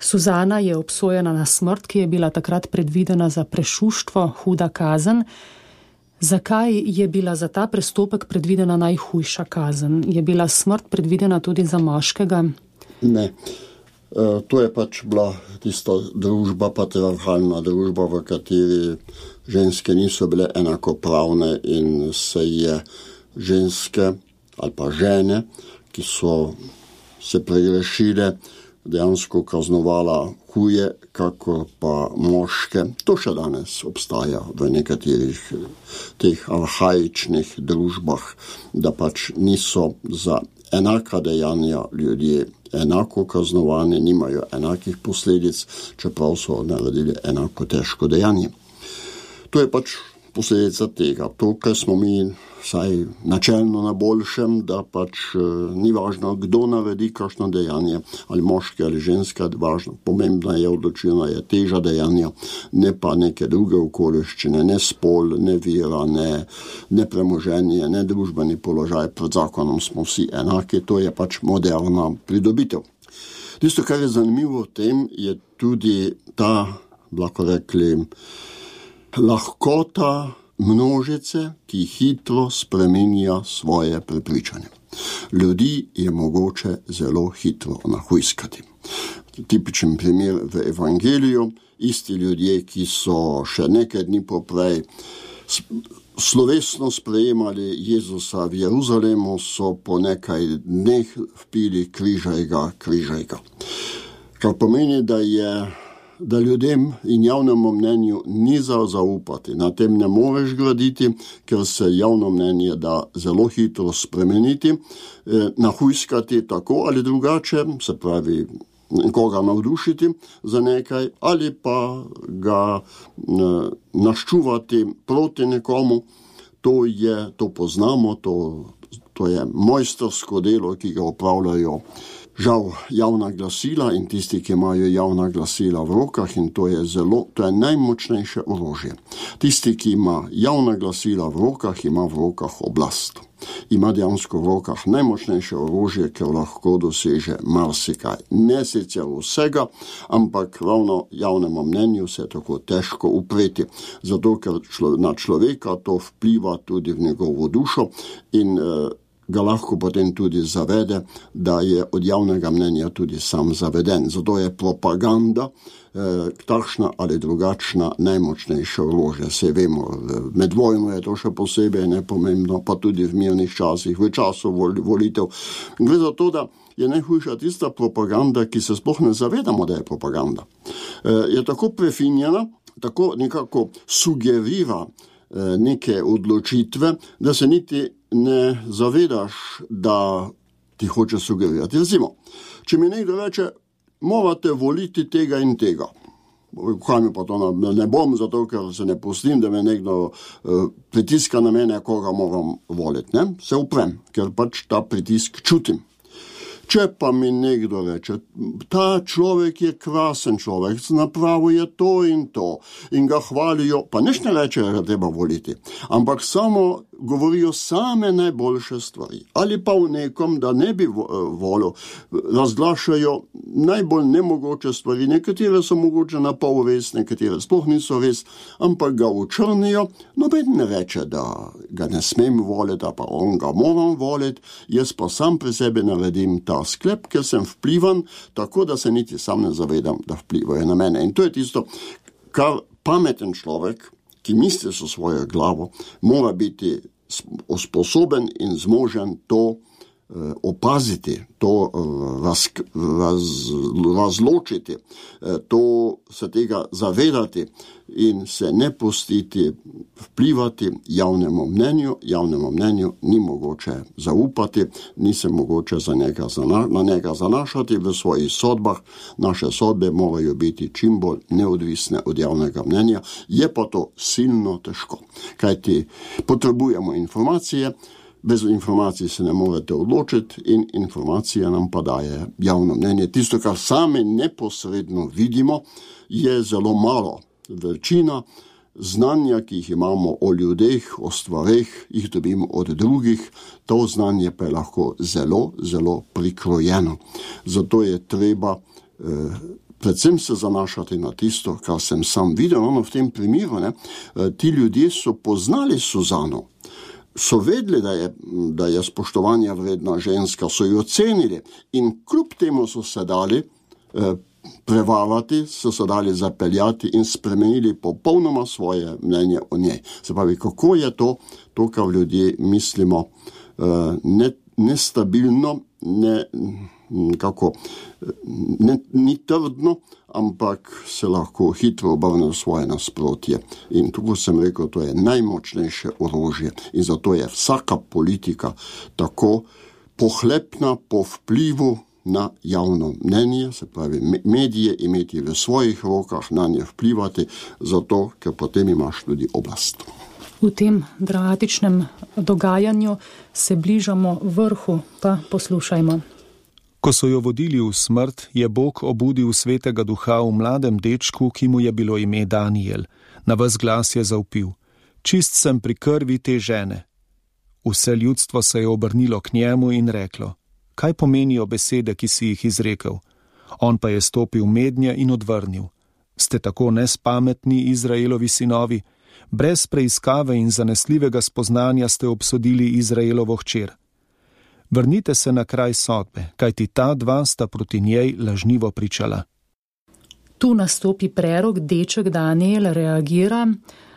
Suzana je obsojena na smrt, ki je bila takrat predvidena za prešuštvo, huda kazen. Zakaj je bila za ta prestopek predvidena najhujša kazen? Je bila smrt predvidena tudi za moškega? Ne. E, to je pač bila tista družba, patriarhalna družba, v kateri ženske niso bile enakopravne in se je ženske ali pa žene, ki so se pregrešile, dejansko kaznovala huje, kako pa moške. To še danes obstaja v nekaterih teh arhaičnih družbah, da pač niso za enaka dejanja ljudje enako kaznovani, nimajo enakih posledic, čeprav so naredili enako težko dejanje. To je pač posledica tega. To, kar smo mi vsaj načelno na boljšem, da pač e, ni važno, kdo naredi kakšno dejanje, ali moški ali ženska, važno, pomembna je odločilna je teža dejanja, ne pa neke druge okoliščine, ne spol, ne vira, ne, ne premoženje, ne družbeni položaj. Pred zakonom smo vsi enaki, to je pač moderna pridobitev. Tisto, kar je zanimivo v tem, je tudi ta, lahko rekli, lahkota množice, ki hitro spreminja svoje prepričanje. Ljudi je mogoče zelo hitro nahujskati. Tipičen primer v evangeliju, isti ljudje, ki so še nekaj dni poprej slovesno sprejemali Jezusa v Jeruzalemu, so po nekaj dneh vpili križaj ga, križaj ga. Kar pomeni, da je da ljudem in javnemu mnenju ni za zaupati. Na tem ne moreš graditi, ker se javno mnenje da zelo hitro spremeniti, eh, nahujskati tako ali drugače, se pravi koga navdušiti za nekaj, ali pa ga eh, naščuvati proti nekomu. To je, to poznamo, to, to je mojstrsko delo, ki ga opravljajo žal javna glasila in tisti, ki imajo javna glasila v rokah, in to je zelo, to je najmočnejše orožje. Tisti, ki ima javna glasila v rokah, ima v rokah oblast. Ima dejansko v rokah najmočnejše orožje, ker lahko doseže marsikaj. Ne sicer vsega, ampak ravno javnemu mnenju se je tako težko upreti, zato ker člo, na človeka to vpliva tudi v njegovo dušo in eh, ga lahko potem tudi zavede, da je od javnega mnenja tudi sam zaveden. Zato je propaganda eh, takšna ali drugačna najmočnejše orožje. Se vemo, med vojno je to še posebej nepomembno, pa tudi v mirnih časih, v času vol, volitev. Gre za to, da je najhujša tista propaganda, ki se sploh ne zavedamo, da je propaganda. Eh, je tako prefinjena, tako nekako sugerira eh, neke odločitve, da se niti ne zavedaš, da ti hoče sugerirati. Recimo, če mi nekdo reče, morate voliti tega in tega. Kaj mi pa to ne bom, zato ker se ne pustim, da me nekdo uh, pritiska na mene, koga moram voliti. Ne? Se uprem, ker pač ta pritisk čutim. Če pa mi nekdo reče, ta človek je krasen človek, napravil je to in to in ga hvalijo, pa nič ne reče, da treba voliti, ampak samo govorijo same najboljše stvari. Ali pa v nekom, da ne bi volil, razglašajo najbolj nemogoče stvari, nekatere so mogoče na pol res, nekatere sploh niso res, ampak ga učrnijo, noben ne reče, da ga ne smem voliti, pa on ga moram voliti, jaz pa sam pri sebi naredim ta sklep, ker sem vplivan, tako da se niti sam ne zavedam, da vplivajo na mene. In to je tisto, kar pameten človek, ki misli so svojo glavo, mora biti sposoben in zmožen to eh, opaziti, to eh, raz, raz, razločiti, eh, to se tega zavedati in se ne pustiti vplivati javnemu mnenju. Javnemu mnenju ni mogoče zaupati, ni se mogoče za njega zana, na njega zanašati v svojih sodbah. Naše sodbe morajo biti čim bolj neodvisne od javnega mnenja, je pa to silno težko, kajti potrebujemo informacije, bez informacij se ne morete odločiti in informacija nam pa daje javno mnenje. Tisto, kar sami neposredno vidimo, je zelo malo. Večina znanja, ki jih imamo o ljudeh, o stvareh, jih dobimo od drugih, to znanje pa je lahko zelo, zelo prikrojeno. Zato je treba eh, predvsem se zanašati na tisto, kar sem sam videl, ono v tem primeru, ne, ti ljudje so poznali Suzano, so vedeli, da je, da je spoštovanja vredna ženska, so jo cenili in kljub temu so se dali eh, prevarati, so se dali zapeljati in spremenili popolnoma svoje mnenje o njej. Se pravi, kako je to, to kar ljudje mislimo eh, ne, nestabilno, ne, kako, ne, ni trdno, ampak se lahko hitro obrne v svoje nasprotje. In tako sem rekel, to je najmočnejše orožje in zato je vsaka politika tako pohlepna po vplivu na javno mnenje, se pravi medije imeti v svojih rokah, na nje vplivati, zato, ker potem imaš tudi oblast. V tem dramatičnem dogajanju se bližamo vrhu, pa poslušajmo. Ko so jo vodili v smrt, je Bog obudil svetega duha v mladem dečku, ki mu je bilo ime Daniel. Na ves glas je zavpil: čist sem pri krvi te žene. Vse ljudstvo se je obrnilo k njemu in reklo: kaj pomenijo besede, ki si jih izrekel? On pa je stopil mednje in odvrnil: ste tako nespametni, Izraelovi sinovi? Brez preiskave in zanesljivega spoznanja ste obsodili Izraelovo hčer. Vrnite se na kraj sodbe, kajti ta dva sta proti njej lažnivo pričala. Tu nastopi prerok, deček Daniel reagira.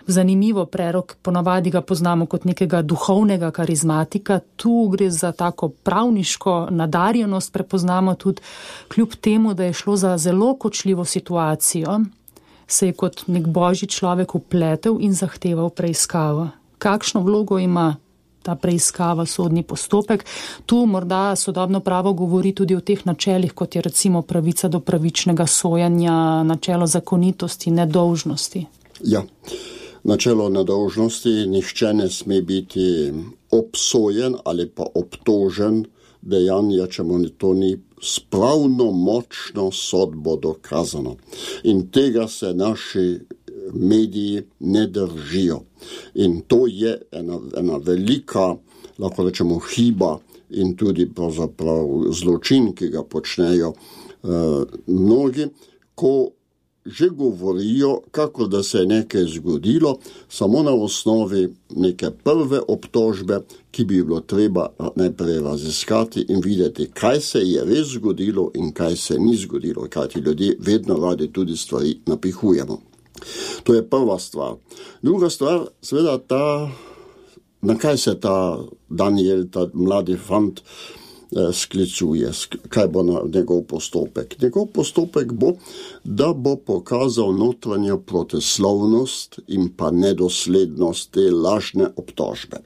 Zanimivo, prerok, ponavadi ga poznamo kot nekega duhovnega karizmatika, tu gre za tako pravniško nadarjenost, prepoznamo tudi kljub temu, da je šlo za zelo kočljivo situacijo, se je kot nek božji človek upletel in zahteval preiskavo. Kakšno vlogo ima ta preiskava, sodni postopek? Tu morda sodobno pravo govori tudi o teh načelih, kot je recimo pravica do pravičnega sojanja, načelo zakonitosti, nedolžnosti. Ja. Načelo nedolžnosti, nihče ne sme biti obsojen ali pa obtožen dejanja, če mu to ni s pravno močno sodbo dokazano. In tega se naši mediji ne držijo. In to je ena, ena velika, lahko rečemo, hiba in tudi pravzaprav zločin, ki ga počnejo uh, mnogi, ko že govorijo, kako da se je nekaj zgodilo, samo na osnovi neke prve obtožbe, ki bi bilo treba najprej raziskati in videti, kaj se je res zgodilo in kaj se ni zgodilo, kajti ljudje vedno radi tudi stvari napihujemo. To je prva stvar. Druga stvar, seveda ta, na kaj se ta Daniel, ta mladi fant, sklicuje, kaj bo na njegov postopek. Njegov postopek bo, da bo pokazal notranjo proteslovnost in pa nedoslednost te lažne obtožbe.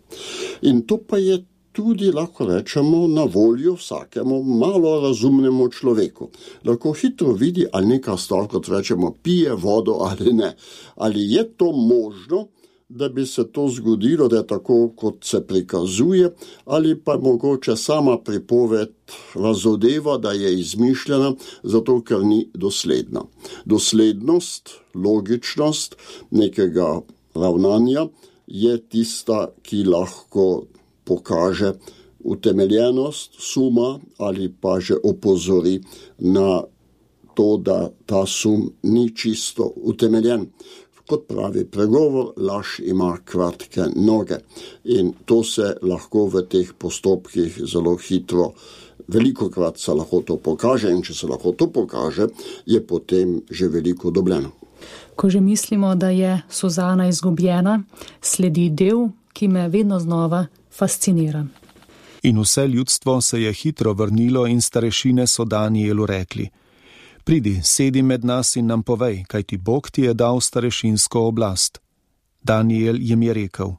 In to pa je tudi, lahko rečemo, na voljo vsakemu malo razumnemu človeku. Lahko hitro vidi, ali neka stvar, kot rečemo, pije vodo ali ne. Ali je to možno, da bi se to zgodilo, da je tako, kot se prikazuje, ali pa mogoče sama pripoved razodeva, da je izmišljena, zato ker ni dosledna. Doslednost, logičnost nekega ravnanja je tista, ki lahko pokaže utemeljenost suma ali pa že opozori na to, da ta sum ni čisto utemeljen. Kot pravi pregovor, laž ima kratke noge in to se lahko v teh postopkih zelo hitro, velikokrat se lahko to pokaže in če se lahko to pokaže, je potem že veliko dobljeno. Ko že mislimo, da je Suzana izgubljena, sledi del, ki me vedno znova fascinira. In vse ljudstvo se je hitro vrnilo in starešine so Danielu rekli: Pridi, sedi med nas in nam povej, kaj ti Bog ti je dal starešinsko oblast. Daniel jim je rekel: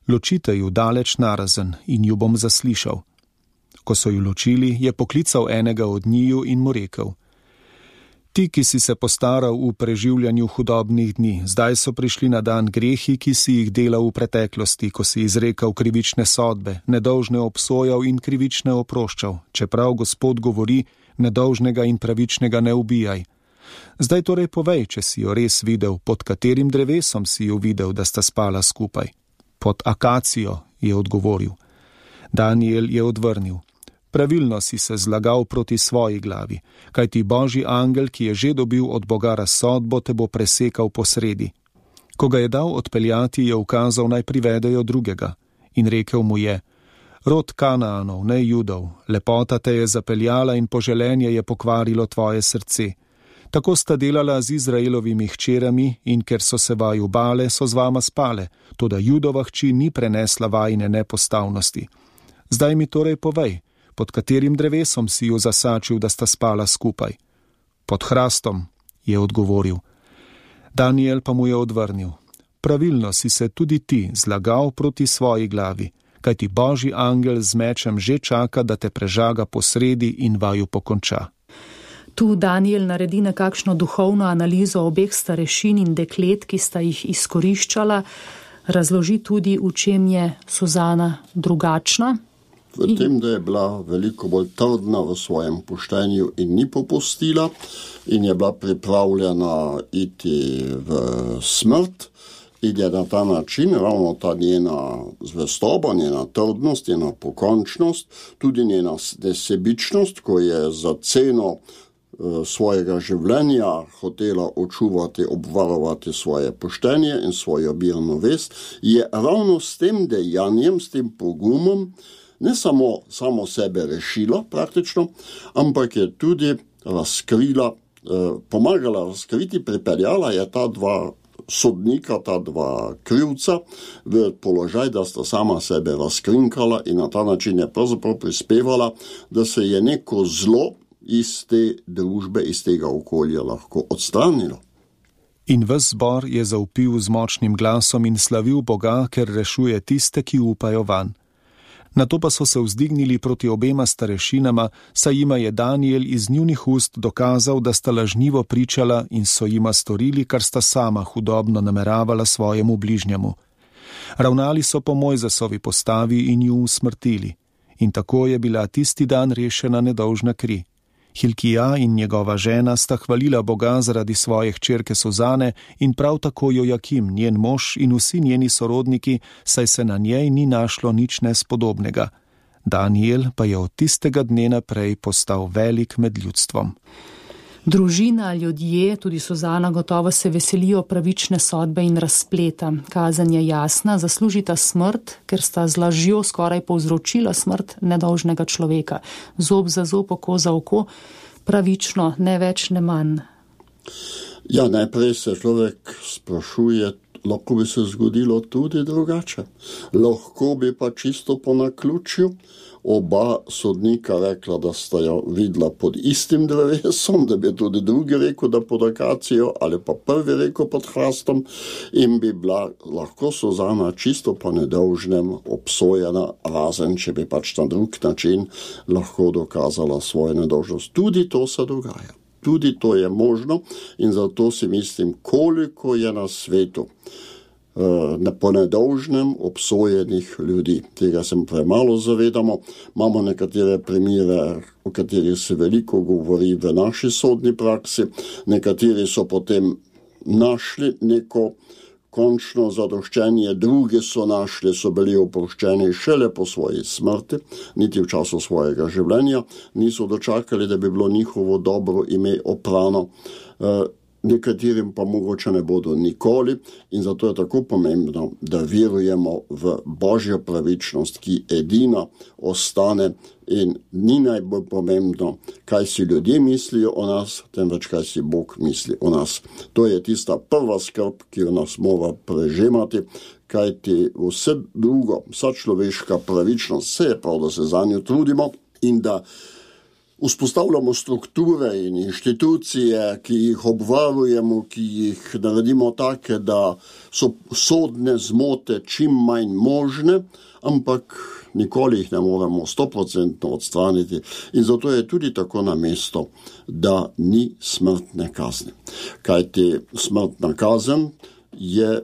Ločite ju daleč narazen in ju bom zaslišal. Ko so ju ločili, je poklical enega od njiju in mu rekel: Ti, ki si se postaral v preživljanju hudobnih dni, zdaj so prišli na dan grehi, ki si jih delal v preteklosti, ko si izrekal krivične sodbe, nedolžne obsojal in krivične oproščal, čeprav Gospod govori: nedolžnega in pravičnega ne ubijaj. Zdaj torej povej, če si jo res videl, pod katerim drevesom si jo videl, da sta spala skupaj. Pod akacijo, je odgovoril. Daniel je odvrnil: Pravilno si se zlagal proti svoji glavi, kajti Božji angel, ki je že dobil od Boga razsodbo, te bo presekal posredi. Ko ga je dal odpeljati, je ukazal, naj privedejo drugega, in rekel mu je: Rod Kanaanov, ne Judov, lepota te je zapeljala in poželenje je pokvarilo tvoje srce. Tako sta delala z Izraelovimi hčerami in ker so se vaju bale, so z vama spale, toda Judova hči ni prenesla vajine nepostavnosti. Zdaj mi torej povej, pod katerim drevesom si ju zasačil, da sta spala skupaj. Pod hrastom, je odgovoril. Daniel pa mu je odvrnil: Pravilno si se tudi ti zlagal proti svoji glavi, kajti Božji angel z mečem že čaka, da te prežaga posredi in vaju pokonča. Tu Daniel naredi nekakšno duhovno analizo obeh starešin in deklet, ki sta jih izkoriščala, razloži tudi, v čem je Suzana drugačna. V tem, da je bila veliko bolj trdna v svojem poštenju in ni popustila in je bila pripravljena iti v smrt, in je na ta način, ravno ta njena zvestoba, njena trdnost, njena pokončnost, tudi njena nesebičnost, ko je za ceno svojega življenja hotela očuvati, obvarovati svoje poštenje in svojo mirno vest, je ravno s tem dejanjem, s tem pogumom, ne samo, samo sebe rešila praktično, ampak je tudi razkrila, pomagala razkriti, pripeljala je ta dva sodnika, ta dva krivca v položaj, da sta sama sebe razkrinkala in na ta način je pravzaprav prispevala, da se je neko zlo iz te družbe, iz tega okolja lahko odstranilo. In ves zbor je zavpil z močnim glasom in slavil Boga, ker rešuje tiste, ki upajo vanj. Nato pa so se vzdignili proti obema starešinama, saj jima je Daniel iz njunih ust dokazal, da sta lažnivo pričala in so jima storili, kar sta sama hudobno nameravala svojemu bližnjemu. Ravnali so po Mojzesovi postavi in ju usmrtili. In tako je bila tisti dan rešena nedolžna kri. Hilkija in njegova žena sta hvalila Boga zaradi svoje hčerke Suzane in prav tako Jojakim, njen mož in vsi njeni sorodniki, saj se na njej ni našlo nič nespodobnega. Daniel pa je od tistega dne naprej postal velik med ljudstvom. Družina, ljudje, tudi Suzana gotovo se veselijo pravične sodbe in razpleta. Kazen je jasna, zaslužita smrt, ker sta z lažjo skoraj povzročila smrt nedolžnega človeka. Zob za zob, oko za oko, pravično, ne več, ne manj. Ja, najprej se človek sprašuje, lahko bi se zgodilo tudi drugače. Lahko bi pa čisto po naključju oba sodnika rekla, da sta jo videla pod istim drevesom, da bi tudi drugi rekel, da pod akacijo, ali pa prvi rekel pod hrastom, in bi bila lahko Suzana čisto po nedolžnem obsojena, razen če bi pač na drug način lahko dokazala svojo nedolžnost. Tudi to se dogaja. Tudi to je možno in zato si mislim, koliko je na svetu po nedolžnem obsojenih ljudi. Tega se premalo zavedamo. Imamo nekatere primere, o katerih se veliko govori v naši sodni praksi. Nekateri so potem našli neko končno zadoščenje, drugi so našli, so bili oproščeni šele po svoji smrti, niti v času svojega življenja, niso dočakali, da bi bilo njihovo dobro ime oprano. Nekaterim pa mogoče ne bodo nikoli in zato je tako pomembno, da verujemo v Božjo pravičnost, ki edina ostane in ni najbolj pomembno, kaj si ljudje mislijo o nas, temveč kaj si Bog misli o nas. To je tista prva skrb, ki jo nas mora prežemati, kajti vse drugo, vsa človeška pravičnost, vse je prav, da se za njo trudimo in da vzpostavljamo strukture in inštitucije, ki jih obvarujemo, ki jih naredimo take, da so sodne zmote čim manj možne, ampak nikoli jih ne moremo stoprocentno odstraniti. In zato je tudi tako na mesto, da ni smrtne kazni. Kajti smrtna kazen je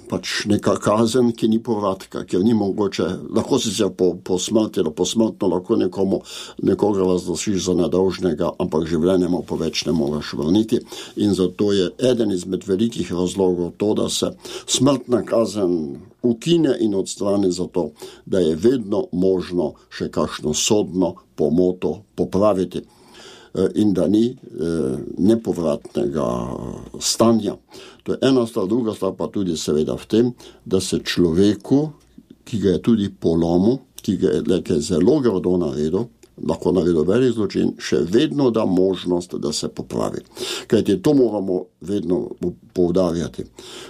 pač neka kazen, ki ni povratka, ker ni mogoče, lahko si se po, po smrti ali posmrtno lahko nekomu, nekoga razglašiš za nedolžnega, ampak življenje mu po več ne moraš vrniti. In zato je eden izmed velikih razlogov to, da se smrtna kazen ukine in odstrani zato, da je vedno možno še kakšno sodno pomoto popraviti in da ni nepovratnega stanja. To je ena stvar, druga stvar pa tudi seveda v tem, da se človeku, ki ga je tudi polomil, ki ga je nekaj zelo grdo naredil, lahko naredil velik zločin, še vedno da možnost, da se popravi. Kajti to moramo vedno poudarjati.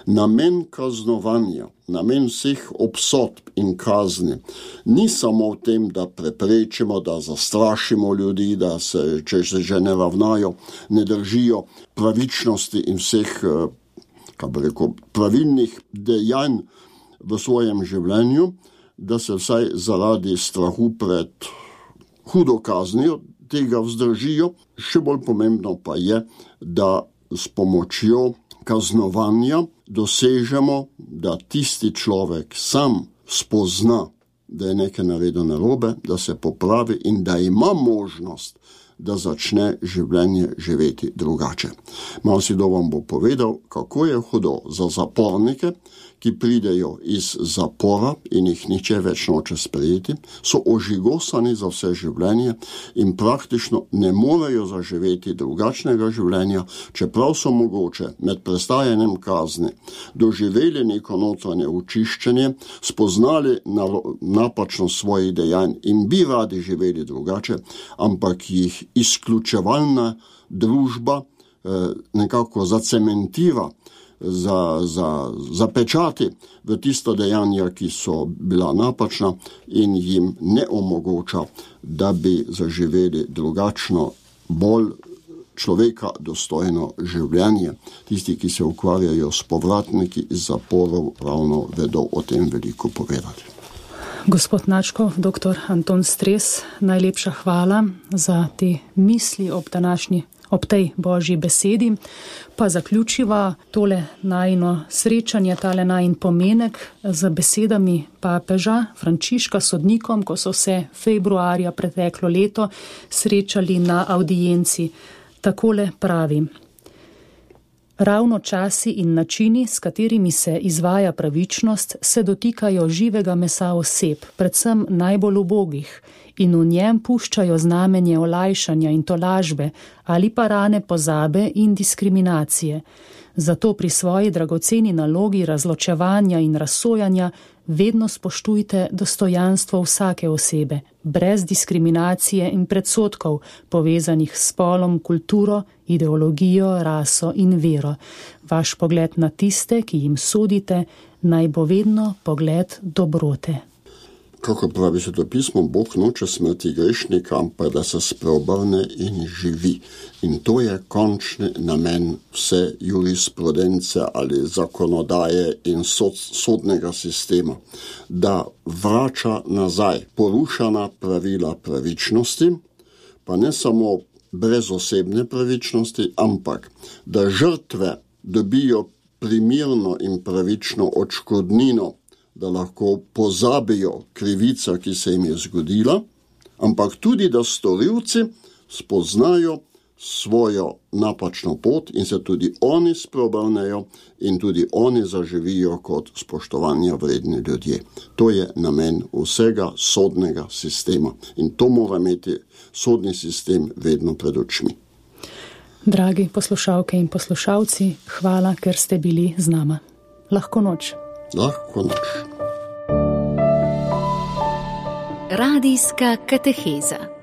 Namen kaznovanja, namen vseh obsodb in kazni ni samo v tem, da preprečimo, da zastrašimo ljudi, da se, če se že ne ravnajo, ne držijo pravičnosti in vseh, kaj bi rekel, pravilnih dejanj v svojem življenju, da se vsaj zaradi strahu pred hudo kaznijo tega vzdržijo. Še bolj pomembno pa je, da s pomočjo kaznovanja dosežemo, da tisti človek sam spozna, da je nekaj naredil narobe, da se popravi in da ima možnost, da začne življenje živeti drugače. Malo si do vam bo povedal, kako je hudo za zapornike, ki pridejo iz zapora in jih niče več noče sprejeti, so ožigosani za vse življenje in praktično ne morejo zaživeti drugačnega življenja, čeprav so mogoče med prestajanjem kazni doživeli neko notranje očiščenje, spoznali napačnost svojih dejanj in bi radi živeli drugače, ampak jih izključevalna družba eh, nekako zacementira, Za, za, zapečati v tisto dejanja, ki so bila napačna in jim ne omogoča, da bi zaživeli drugačno, bolj človeka dostojno življenje. Tisti, ki se ukvarjajo s povratniki iz zaporov, ravno vedo o tem veliko povedati. Gospod Načkov, doktor Anton Stres, najlepša hvala za te misli ob današnji Ob tej Božji besedi pa zaključiva tole najino srečanje, tale najin pomenek z besedami papeža Frančiška sodnikom, ko so se februarja preteklo leto srečali na audienci. Takole pravi: Ravno časi in načini, s katerimi se izvaja pravičnost, se dotikajo živega mesa oseb, predvsem najbolj ubogih, in v njem puščajo znamenje olajšanja in tolažbe ali pa rane pozabe in diskriminacije. Zato pri svoji dragoceni nalogi razločevanja in razsojanja vedno spoštujte dostojanstvo vsake osebe, brez diskriminacije in predsodkov, povezanih s spolom, kulturo, ideologijo, raso in vero. Vaš pogled na tiste, ki jim sodite, naj bo vedno pogled dobrote. Kako pravi svetopismo, Bog noče smrti grešnika, ampak da se spreobrne in živi. In to je končni namen vse jurisprudence ali zakonodaje in sod, sodnega sistema, da vrača nazaj porušena pravila pravičnosti, pa ne samo brezosebne pravičnosti, ampak da žrtve dobijo primirno in pravično odškodnino, da lahko pozabijo krivica, ki se jim je zgodila, ampak tudi, da storilci spoznajo svojo napačno pot in se tudi oni spreobrnejo in tudi oni zaživijo kot spoštovanja vredni ljudje. To je namen vsega sodnega sistema in to mora imeti sodni sistem vedno pred očmi. Dragi poslušalke in poslušalci, hvala, ker ste bili z nama. Lahko noč. Lahko noč. Radijska kateheza.